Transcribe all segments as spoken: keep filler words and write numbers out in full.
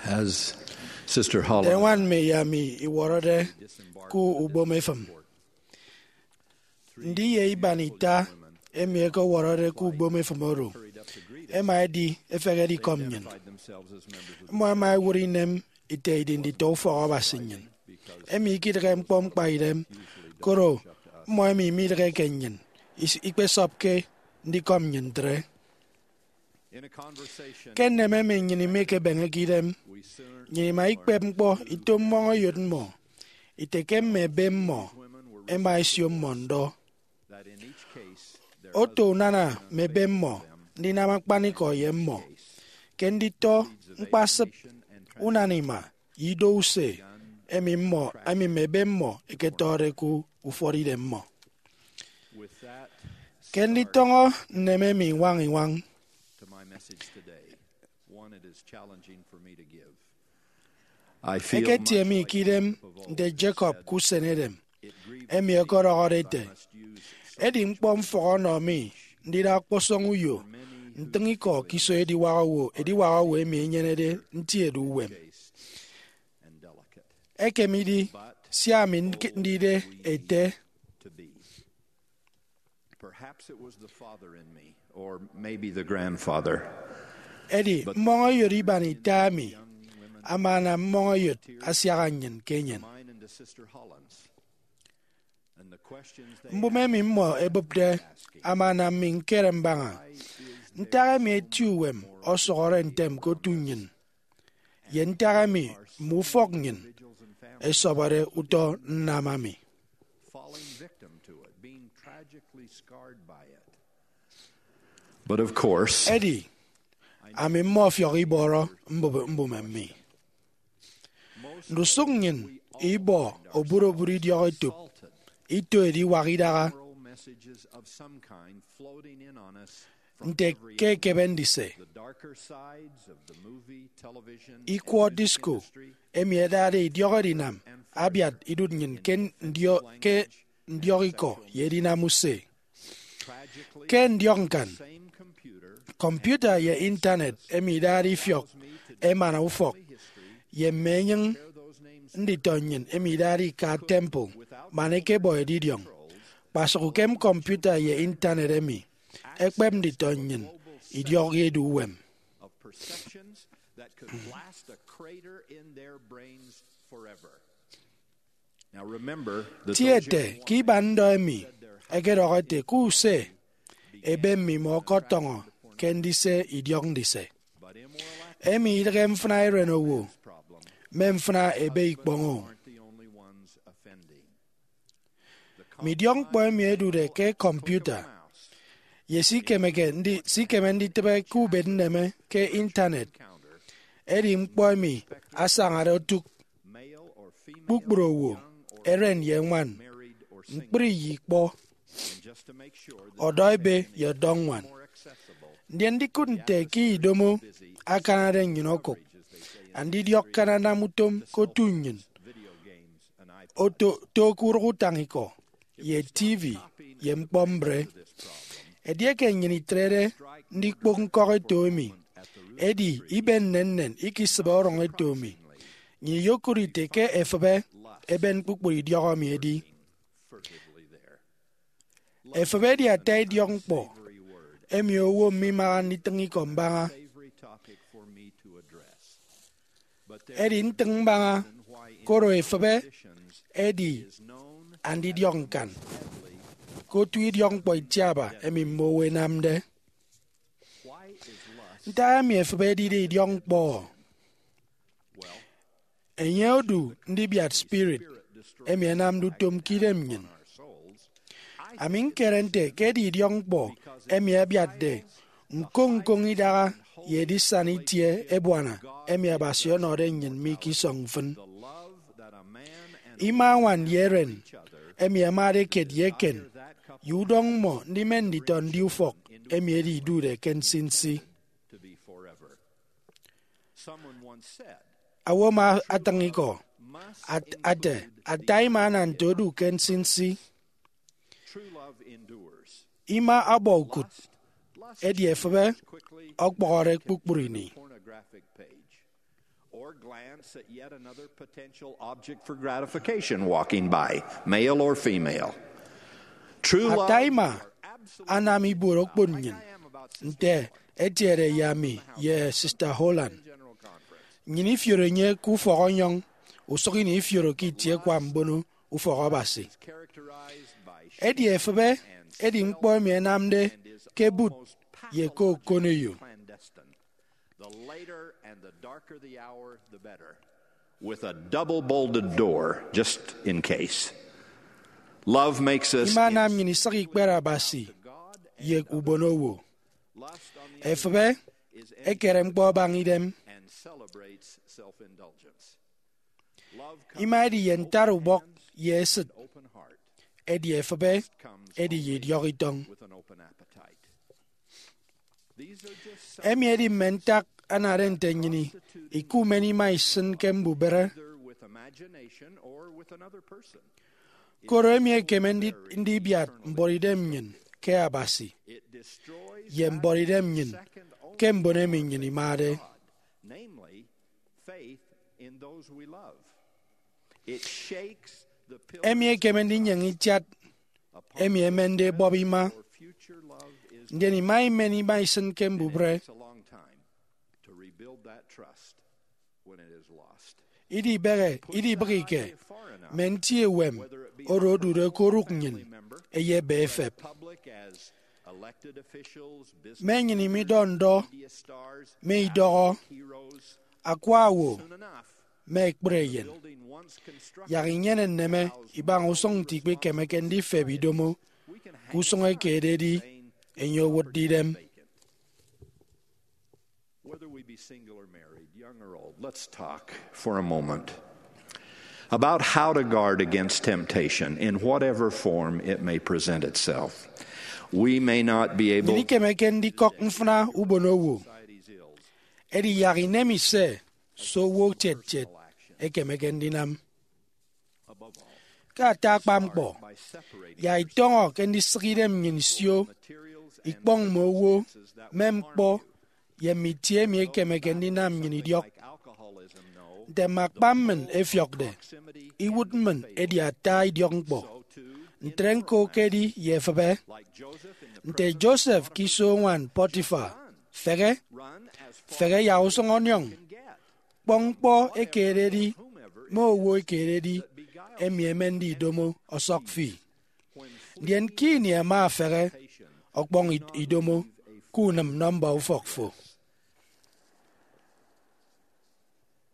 As Sister Nte Holland ñwan mme ye ami iwọrọde ku ubom efịm, ndi ye iban ita emi ẹkewọrọde ku ubom efịm oro ẹma ẹdi ẹfehede ikọ nnyịn. Mmọ ẹma ẹwụt inem ite idi nditọ ufọk Abasi nnyịn, emi ikidịghe ñkpọ ñkpaidem, koro mmọ emi midịgheke nnyịn is- ikpesọpke ndikọm nnyịn ntre. Ke nneme emi nnyịn imekebeñeke idem, nnyịn ima ikpep ñkpọ ito mmọñeyot mmọ ite ke mme ebe mmọ ẹma ẹsio mmọ ndọ. Oto unana mme ebe mmọ ndinam akpanikọ ye mmọ ke nditọ ñkpasịp unana ima ye ido use emi mmọ emi mme ebe mmọ ẹketọde ku ufọt idemmọ. Ke nditọñọ nneme emi iñwañ iñwañ, eketie mi ke idem nte Jacob ke usen edem, emi ọkọdọhọde ete, edi ñkpọ mfọk ọnọ mi ndida ọkpọsọñ uyo ntịñ ikọ ke iso ediwak owo ediwak owo emi enyenede nti edu uwem. Ekem idi sia ami ndide ete, Perhaps it was the father in me, or maybe the grandfather. Edi mmọñeyot iban ita emi ama anam mmọñeyot asiaha nnyịn ke enyịn. Mbụme emi mmọ ẹbụpde ama anam mi ñkere mbaña ntak emi eti uwem ọsọhọre ntem ke otu nnyịn, ye ntak emi mme ufọk nnyịn ẹsọbọde utọ nnam ami. But of course, edi ami mmọfiọk ibọrọ mbụbe- mbụme mi. Ndusụk nnyịn ibọ oburobụt idiọk etop, ito ediwak idaha, nte ke ekebe ndise ikwọ disco emi ẹdade idiọk edinam abiat idụt nnyịn ke ndio- ke ndiọk ikọ ye edinam use. Ke ndiọk ñkan, kọmputa ye intanet emi idade ifiọk emana ufọk ye mme enyịñ nditọ nnyịn emi idade ika temple man ẹkebọ edidiọñ. Kpasụk ukem kọmputa ye intanet emi ẹkpep nditọ nnyịn idiọk ye edu uwem. Tie ete ke iban ndọ emi ẹkedọhọ ete ke use ebe mmimọ ọkọtọñọ ke ndise idiọk ndise. Emi idịghe mfịna eren owo, mme mfịna ebe ikpọñ-o. Mme idiọkñkpọ emi ẹdude ke kọmputa ye sikemeke ndi- sikeme nditịbe ke ubet nneme ke intanet edi ñkpọ emi asañade otụk kpukpru owo, eren ye ñwan, ñkpri ye ikpọ, ọdọ ebe ye ọdọ ñwan. Ndien ndikụt nte ke idomo akanade nnyịn okụk, andidiọk ke ananam utom ke otu nnyịn oto to ke urụk utañikọ ye T V ye ñkpọ mbre. Edieke nnyịn itrede ndikpok ñkọk eto emi, edi iben nnennen ikisịbe orọñ eto emi, nnyịn iyokụt ite ke efịbe eben kpukpru idiọk emi edi. Efịbe edi ata idiọkñkpọ emi owo mimaha nditịñ ikọ mbaña. Edi ntịñ mbaña koro efịbe edi andidiọk ñkan ke otu idiọkñkpọ itiaba emi mme owo ẹnamde. Ntak emi efịbe edide idiọkñkpọ? Enye odu ndibiat spirit emi ẹnamde utom ke idem nnyịn. Ami ñkere nte ke edi idiọkñkpọ emi abiatde ñkoñ ñkoñ idaha ye edisana itie ebuana emi Abasi ọnọde nnyịn mi ke isọñ mfịn. Ima añwan ye eren emi ẹmade kiet ye eken ye udọñ mmọ ndimen nditọ ndiufọk emi edi idude ke nsinsi. Owo ama atịñ ikọ at- ate, ata ima ana nte odu ke nsinsi. Ima ọbọ ukụt, edi efịbe ọkpọhọre kpukpru ini. Or glance at yet another potential object for gratification walking by, male or female. True love. Ata ima anam ibuot okpon nnyịn, nte etiede ye ami ye Sister Holland. Nnyịn ifioro enye ke ufọk ọnyọñ, usụk ini ifioro ke itie ẹkwa mbono ufọk Abasi. Edi efịbe edi ñkpọ emi ẹnamde ke bụt ye ke okoneyo. The later and the darker the hour, the better. With a double bolted door, just in case. Love makes us. Ima anam nnyịn isịk ikpere Abasi ye ubonowo. Efịbe ekere ñkpọ abaña idem. And celebrates self-indulgence. Ima edi ye ntarubọk ye esịt, edi efịbe edi ye idiọk itọñ. Emi edi mme ntak anade nte nnyịn ikumen ima isịn ke mbubehe. Koro emi ekeme ndi- ndibiat mbuọtidem nnyịn ke Abasi, ye mbuọtidem nnyịn ke mbon emi nnyịn imade. Emi ekeme ndinyeñe itiat emi emende ebọp ima, ndien ima imen ima isịn ke mbubehe. Idibehe, idibịghike mme nti ewem oro odude ke orụk nnyịn eyebe efep. Mme enyịn midọ ndọ, mme idọhọ, akwa owo, mme ekpri eyen. Yak inyene nneme ibaña usụñ nte ikpikemeke ndifep idomo ke usụñ eke ededi enye owụtde idem. Whether we be single or married, young or old, let's talk for a moment about how to guard against temptation in whatever form it may present itself. We may not be able. Nnyịn ikemeke ndikọk mfịna ubonowo, edi yak ineme ise se owo ketiet kiet ekemeke ndinam. Ke ata akpa ñkpọ, yak itọñọ ke ndisịk idem nnyịn isio ikpọñ mme owo, mme ñkpọ, ye mme itie emi ekemeke ndinam nnyịn idiọk. Nte mme akpa mmịn ẹfiọkde, iwụt mmịn edi ata idiọkñkpọ. Ntre ñko ke edi ye efịbe. Nte Joseph ke iso uñwan Potiphar, fehe, fehe yak usụñ ọniọñ. Kpọñ ñkpọ eke ededi mme owo eke ededi emi ẹmende idomo ọsọk fi. Ndien ke ini ẹma ẹfehe, ọkpọñ i- idomo ke unịm nọmba ufọk fo.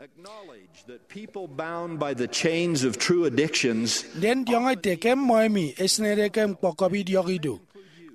Acknowledge that people bound by the chains of true addictions. Ndien diọñọ ete ke mmọ emi ẹsịnede ke ñkpọkọbi idiọk ido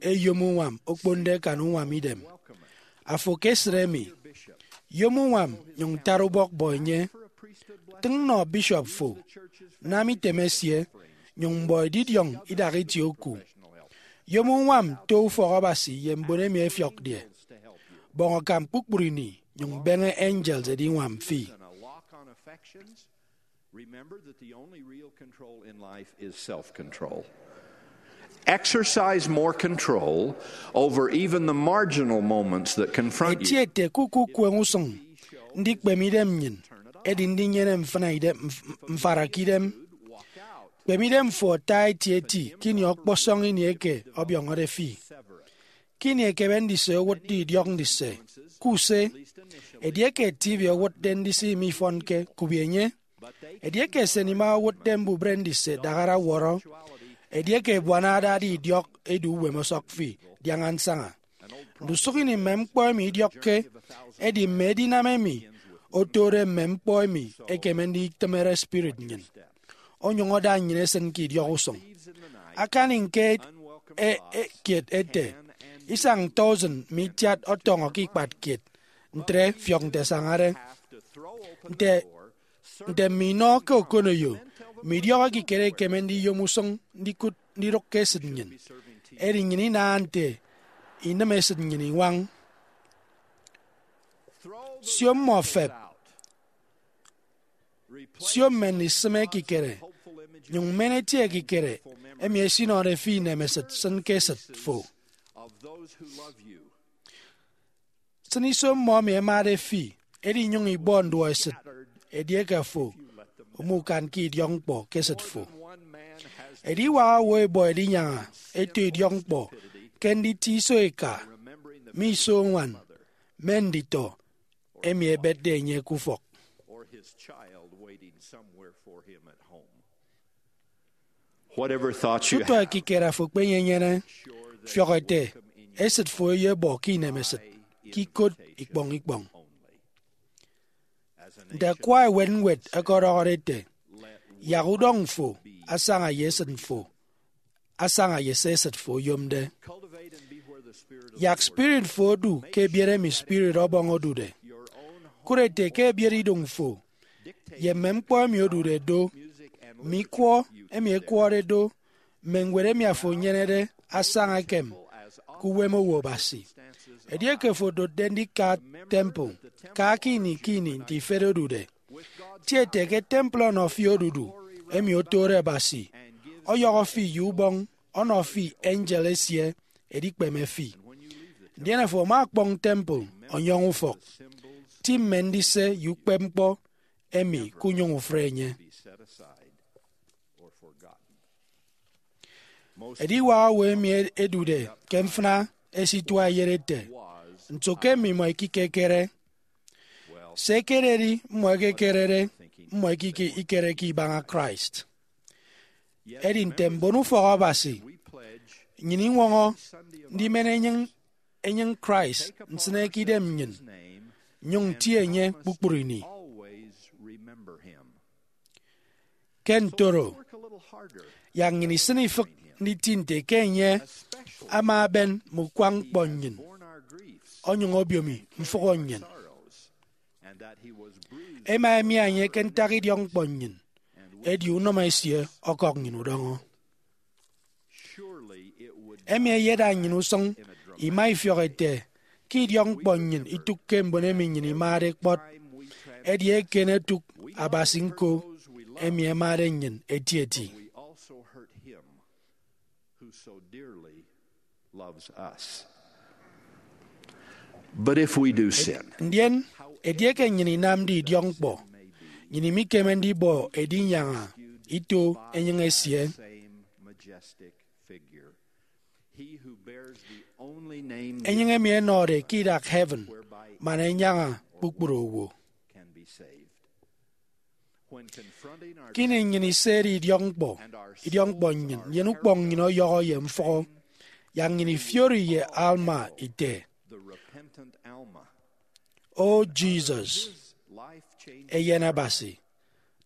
eyom uñwam okponde akan uñwam idem. Afo ke esịt emi, yom uñwam nyụñ tara ubọk bọ enye. Tịñ nọ bishop fo, nam item esie, nyụñ mbọ edidiọñ idak itie oku. Yom uñwam to ufọk Abasi ye mbon emi ẹfiọkde. Bọñ akam kpukpru ini, nyụñ beñe angels ẹdiñwam fi. Remember that the only real control in life is self control. Exercise more control over even the marginal moments that confront you. Etiete ke ukukueñ usụñ ndikpeme idem nnyịn edi ndinyene mfịna idem, mf- mfara ke idem. Kpeme idem fo ata etieti ke ini ọkpọsọñ ini eke ọbiọñọde fi. Ke ini ekebe ndise owụtde idiọk ndise, kuse. Edieke T V owụtde ndise imifọnke, kubi enye. Edieke esenima owụtde mbubre ndise, dahara wọrọ. Edieke ebuana adade idiọk edu uwem ọsọk fi, diaña nsaña. Ndusụk ini mme ñkpọ emi idiọkke, edi mme edinam emi otode mme ñkpọ emi ekeme nditịmere spirit nnyịn, onyụñ ada nnyịn esịn ke idiọk usụñ. Akani ñke e- e- kiet ete, isañ thousand mme itiat ọtọñọ ke ikpat kiet, ntre fiọk nte ẹsañade. Nte nte mme inọ ke okoneyo, mme idiọk ekikere ekeme ndiyom usụñ ndikụt ndidụk ke esịt nnyịn. Edi nnyịn inaha nte inịm esịt nnyịn iñwañ. Sio mmọ fep. Sio mme ndisịm ekikere, nyụñ men eti ekikere emi esinọde fi inemesịt sịn ke esịt fo. Sịn iso mmọ emi ẹmade fi, edi nyụñ ibọ nduọesịt edieke afo umukan ke idiọkñkpọ ke esịt fo. Ediwak owo ebọ edinyaña eto idiọkñkpọ ke nditi iso eka mme iso uñwan mme nditọ emi ebetde enye ke ufọk. Whatever thoughts you Tutọ have, ekikere afo ekpenyenyene, fiọk ete esịt fo eyebọ ke inemesịt ke ikot ikpọñ ikpọñ. Nte akwa ewen ñwed ọkọdọhọde ete, yak udọñ fo asaña ye esịt fo, asaña ye se esịt fo oyomde. Yak spirit fo odu ke ebiet emi spirit Ọbọñ odude. Kụt ete ke ebiet idụñ fo ye mme ñkpọ emi odude do, mme ikwọ emi ekwọde do, mme ñwed emi afo enyenede asaña ekem ke uwem owo Abasi. Edieke fo odotde ndika temple, ka ke ini ke ini nte ifet odude, tie ete ke temple ọnọ fi odudu emi otode Abasi, ọyọhọ fi ye ubọñ, ọnọ fi angel esie edikpeme fi. Ndien afo ama ọkpọñ temple ọnyọñ ufọk, ti mme ndise ye ukpepñkpọ emi kunyụñ ufre enye. Ediwak owo emi edude ke mfịna esitua eyet ete, nso ke mmimọ ikekekere? Se ekededi mmọ ekekerede, mmọ ikike ikereke ibaña Christ. Edi nte mbonufọk Abasi, nnyịn iñwọñọ ndimen enyịñ enyịñ Christ nsịne ke idem nnyịn, nnyụñ nti enye kpukpru ini. Ke ntoro, yak nnyịn isịn ifịk nditi nte ke enye ama eben mme ukwañ ñkpọ nnyịn, onyụñ obiomi mfụhọ nnyịn. Ema emia enye ke ntak idiọkñkpọ nnyịn, edi unọmọ esie ọkọk nnyịn udọñọ. Emi eyeda nnyịn usụñ ima ifiọk ete ke idiọkñkpọ nnyịn itụkke mbon emi nnyịn imade kpọt, edi eken etụk Abasi ñko emi ẹmade nnyịn etieti. But if we do sin, Ndien, edieke nnyịn inamde idiọkñkpọ, nnyịn imikeme ndibọ edinyaña ito enyịñ esie. Enyịñ emi ẹnọde ke idak heaven man enyaña kpukpru owo. Kini nnyịn isede idiọkñkpọ, idiọkñkpọ nnyịn, nnyịn ukpọñ nnyịn ọyọhọ ye mfụhọ, yak nnyịn ifiori ye Alma ite, O Jesus, Eyen Abasi,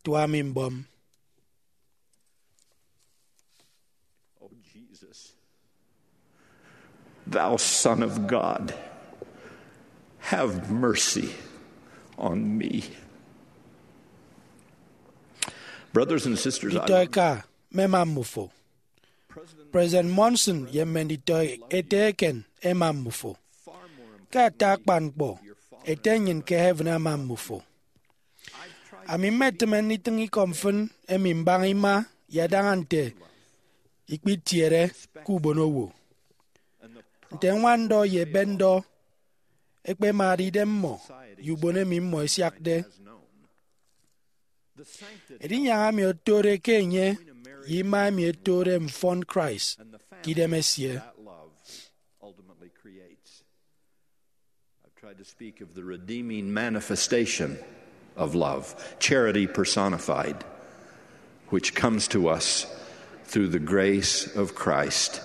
tua mi mbọm. Thou Son of God, have mercy on me. Brothers and sisters, I Nditọ eka, mmema mmufo. President Monson ye mme nditọ ete eken ema mmufo. Ke ata akpan ñkpọ, Ete nnyịn ke heaven ama mmufo. Ami mmetịme nditịñ ikọ mfịn emi mbaña ima ye adaña nte ikpitiede ke ubonowo. Nte ñwanndọ ye ebetndọ ẹkpemade idem mmọ ye ubon emi mmọ ẹsiakde. Edinyaña emi otode ke enye ye ima emi etode mfọn Christ ke idem esie. I've tried to speak of the redeeming manifestation of love, charity personified, which comes to us through the grace of Christ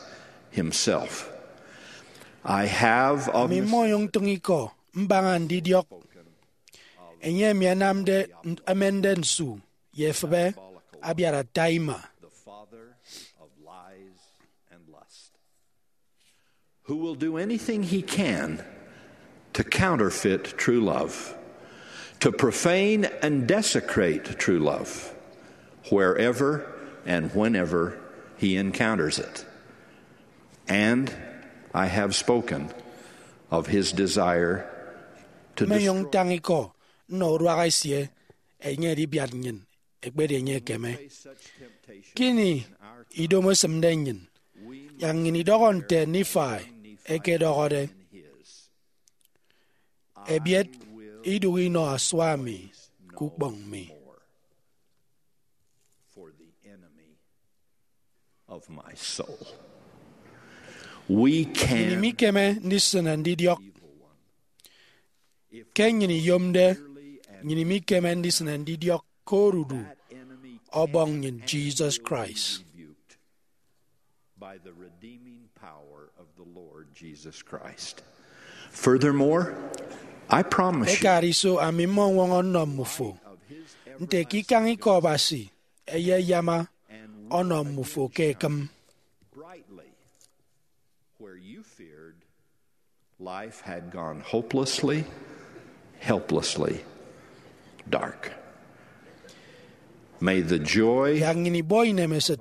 Himself. I have of Ami mmonyụñ ntịñ ikọ mbaña ndidiọk enye emi ẹnamde, ẹmende nsu ye efịbe abiat ata ima. The father of lies and lust, who will do anything he can to counterfeit true love, to profane and desecrate true love wherever and whenever he encounters it. And I have spoken of his desire to Mmenyụñ destroy. Ntañ ikọ nnọ uduak esie, enye edibiat nnyịn ekpedi enye ekeme. Kini idomo esịmde nnyịn, yak nnyịn idọhọ nte Nifai ẹkedọhọde, Ebiet idụhe inọ asua mi ukpọñ mi. For the enemy of my soul. We Nnyịn can mikeme ndisịne ndidiọk. Ke nnyịn iyomde, nnyịn mikeme ndisịne ndidiọk ke odudu Ọbọñ nnyịn, Jesus Christ. By the redeeming power of the Lord Jesus Christ. Furthermore, I promise you, Ekariso, ami mmọñwọñọ nnọ mmufo nte ke ikañ ikọ Abasi eyeyama ọnọ mmufo ke ekịm. Brightly where you feared life had gone hopelessly, helplessly dark. May the joy Yak nnyịn ibọ inemesịt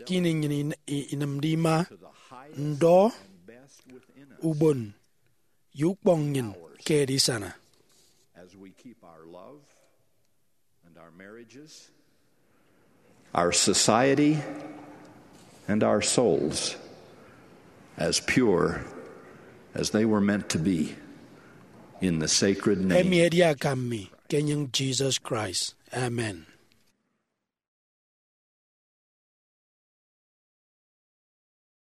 ke ini nnyịn in- i- inịmde ima, ndọ, ubon, ye ukpọñ nnyịn ke edisana. As we keep our love and our marriages, our society and our souls as pure as they were meant to be in the sacred name. Emi edi akam mi ke enyịñ Jesus Christ. Amen.